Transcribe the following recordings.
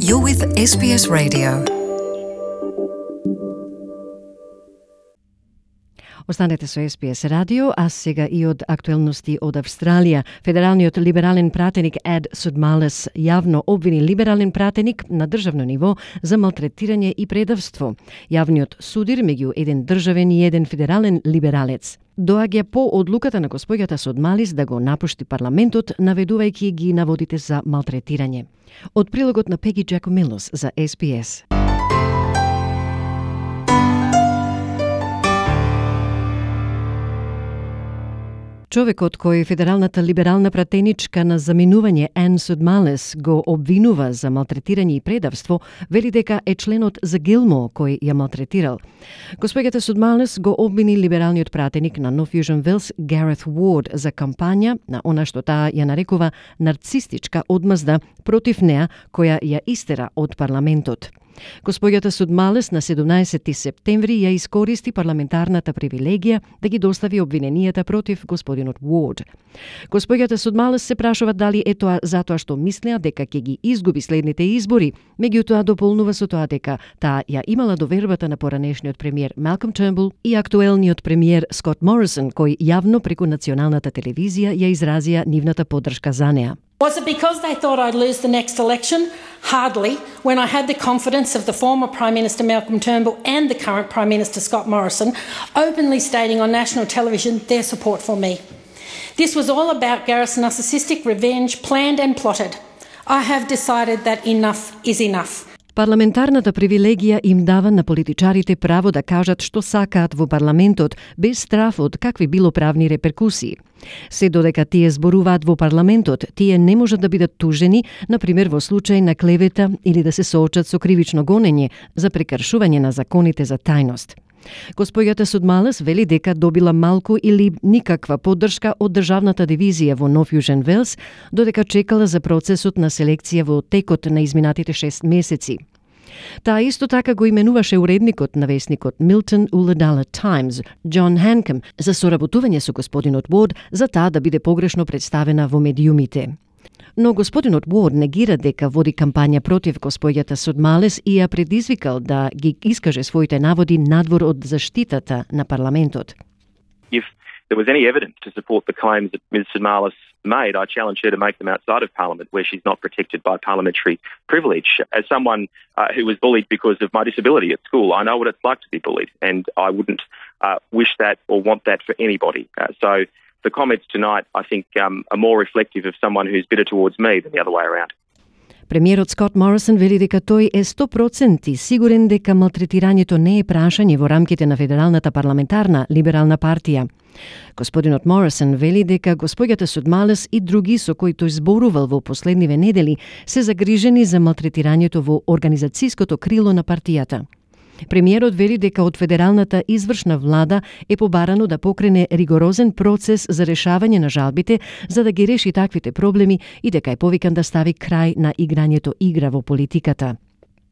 You're with SBS Radio. Останете со SBS радио, а сега и од актуелности од Австралија. Федералниот либерален пратеник Ed Sudmalis јавно обвини либерален пратеник на државно ниво за малтретирање и предавство. Јавниот судир меѓу еден државен и еден федерален либералец доаѓа по одлуката на госпоѓата Sudmalis да го напушти парламентот, наведувајќи ги наводите за малтретирање. Од прилогот на Пеги Джакомилос за SBS. Човекот кој федералната либерална пратеничка на заминување Ен Sudmalis го обвинува за малтретирање и предавство, вели дека е членот за Гилмо кој ја малтретирал. Госпоѓата Sudmalis го обвини либералниот пратеник на North Fusion Wales Gareth Ward за кампања на она што таа ја нарекува нарцистичка одмазда против неа која ја истера од парламентот. Госпоѓата Sudmalis на 17 септември ја искористи парламентарната привилегија да ги достави обвиненијата против господинот Ward. Госпоѓата Sudmalis се прашува дали е тоа затоа што мислеа дека ќе ги изгуби следните избори, меѓутоа дополнува со тоа дека таа ја имала довербата на поранешниот премиер Malcolm Turnbull и актуелниот премиер Scott Morrison, кој јавно преку националната телевизија ја изразија нивната поддршка за неа. Was it because they thought I'd lose the next election? Hardly, when I had the confidence of the former Prime Minister Malcolm Turnbull and the current Prime Minister Scott Morrison openly stating on national television their support for me. This was all about Gareth's narcissistic revenge, planned and plotted. I have decided that enough is enough. Парламентарната привилегија им дава на политичарите право да кажат што сакаат во парламентот, без страф од какви било правни реперкусии. Се додека тие зборуваат во парламентот, тие не можат да бидат тужени, например во случај на клевета или да се соочат со кривично гонење за прекршување на законите за тајност. Госпоѓата Sudmalis вели дека добила малку или никаква поддршка од државната дивизија во North Fusion Wales, додека чекала за процесот на селекција во текот на изминатите 6 месеци. Таа исто така го именуваше уредникот на весникот Milton Ulladulla Times, John Hancock, за соработување со господинот Ward за таа да биде погрешно представена во медиумите. Но господинот Ward негира дека води кампања против госпоѓата Sudmalis и ја предизвикал да ги искаже своите наводи надвор од заштитата на парламентот. If there was any evidence to support the claims that Ms. Sudmalis made, I challenge her to make them outside of Parliament, where she's not protected by parliamentary privilege. As someone who was bullied because of my disability at school, I know what it's like to be bullied, and I wouldn't wish that or want that for anybody. So the comments tonight, I think, are more reflective of someone who's bitter towards me than the other way around. Премиерот Скот Морисон вели дека тој е 100% сигурен дека малтретирањето не е прашање во рамките на Федералната парламентарна либерална партија. Господинот Морисон вели дека госпоѓата Sudmalis и други со кои тој зборувал во последниве недели се загрижени за малтретирањето во организацијското крило на партијата. Премиерот вели дека од федералната извршна влада е побарано да покрене ригорозен процес за решавање на жалбите за да ги реши таквите проблеми и дека е повикан да стави крај на играњето игра во политиката.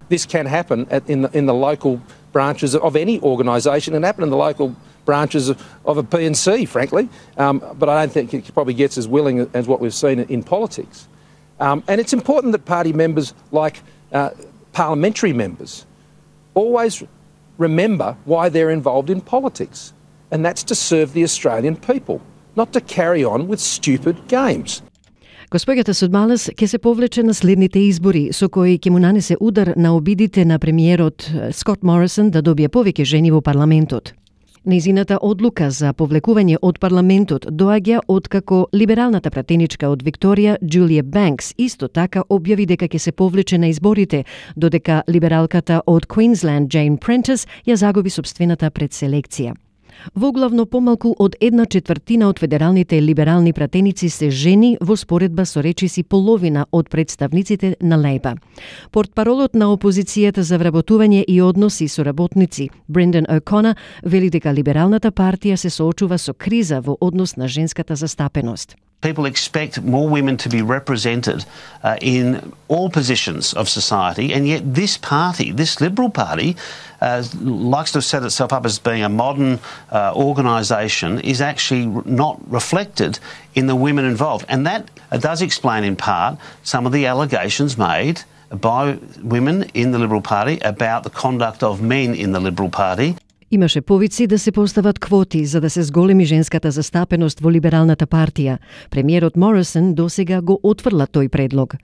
This can happen in the local branches of any organisation and happen in the local branches of a PNC, frankly. But I don't think it probably gets as willing as what we've seen in politics. And it's important that party members, like parliamentary members, always remember why they're involved in politics. And that's to serve the Australian people, not to carry on with stupid games. Госпоѓата Sudmalis ќе се повлече на следните избори, со кои ќе му нанесе удар на обидите на премиерот Скот Морисон да добие повеќе жени во парламентот. Нејзината одлука за повлекување од парламентот доаѓа откако либералната пратеничка од Викторија, Джулија Банкс, исто така објави дека ќе се повлече на изборите, додека либералката од Queensland, Jane Prentice, ја загуби собствената предселекција. Воглавно помалку од 1/4 од федералните либерални пратеници се жени во споредба со речиси половина од представниците на Лейба. Портпаролот на опозицијата за вработување и односи со работници, Brendan O'Connor, вели дека либералната партија се соочува со криза во однос на женската застапеност. People expect more women to be represented in all positions of society, and yet this party, this Liberal Party, likes to set itself up as being a modern organisation, is actually not reflected in the women involved. And that does explain in part some of the allegations made by women in the Liberal Party about the conduct of men in the Liberal Party. Имаше повици да се постават квоти за да се зголеми женската застапеност во Либералната партија. Премиерот Морисон досега го отфрла тој предлог.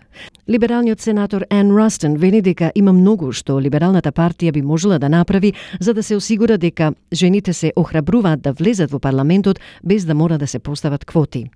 Либералниот сенатор Ан Растон вели дека има многу што Либералната партија би можела да направи за да се осигура дека жените се охрабруваат да влезат во парламентот без да мора да се постават квоти.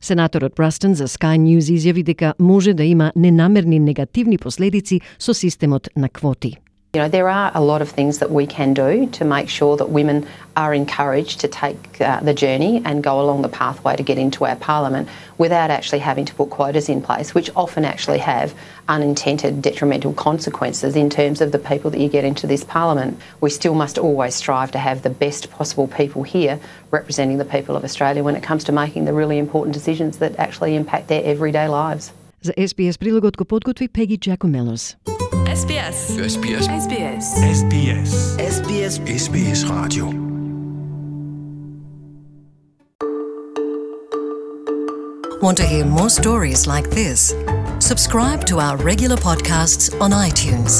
Сенаторот Растон за Sky News изјави дека може да има ненамерни негативни последици со системот на квоти. You know, there are a lot of things that we can do to make sure that women are encouraged to take the journey and go along the pathway to get into our parliament without actually having to put quotas in place, which often actually have unintended detrimental consequences in terms of the people that you get into this parliament. We still must always strive to have the best possible people here representing the people of Australia when it comes to making the really important decisions that actually impact their everyday lives. За SBS прилогот го подготви Пеги Джакомелос. SBS. SBS. SBS. SBS. SBS. SBS Radio. Want to hear more stories like this? Subscribe to our regular podcasts on iTunes.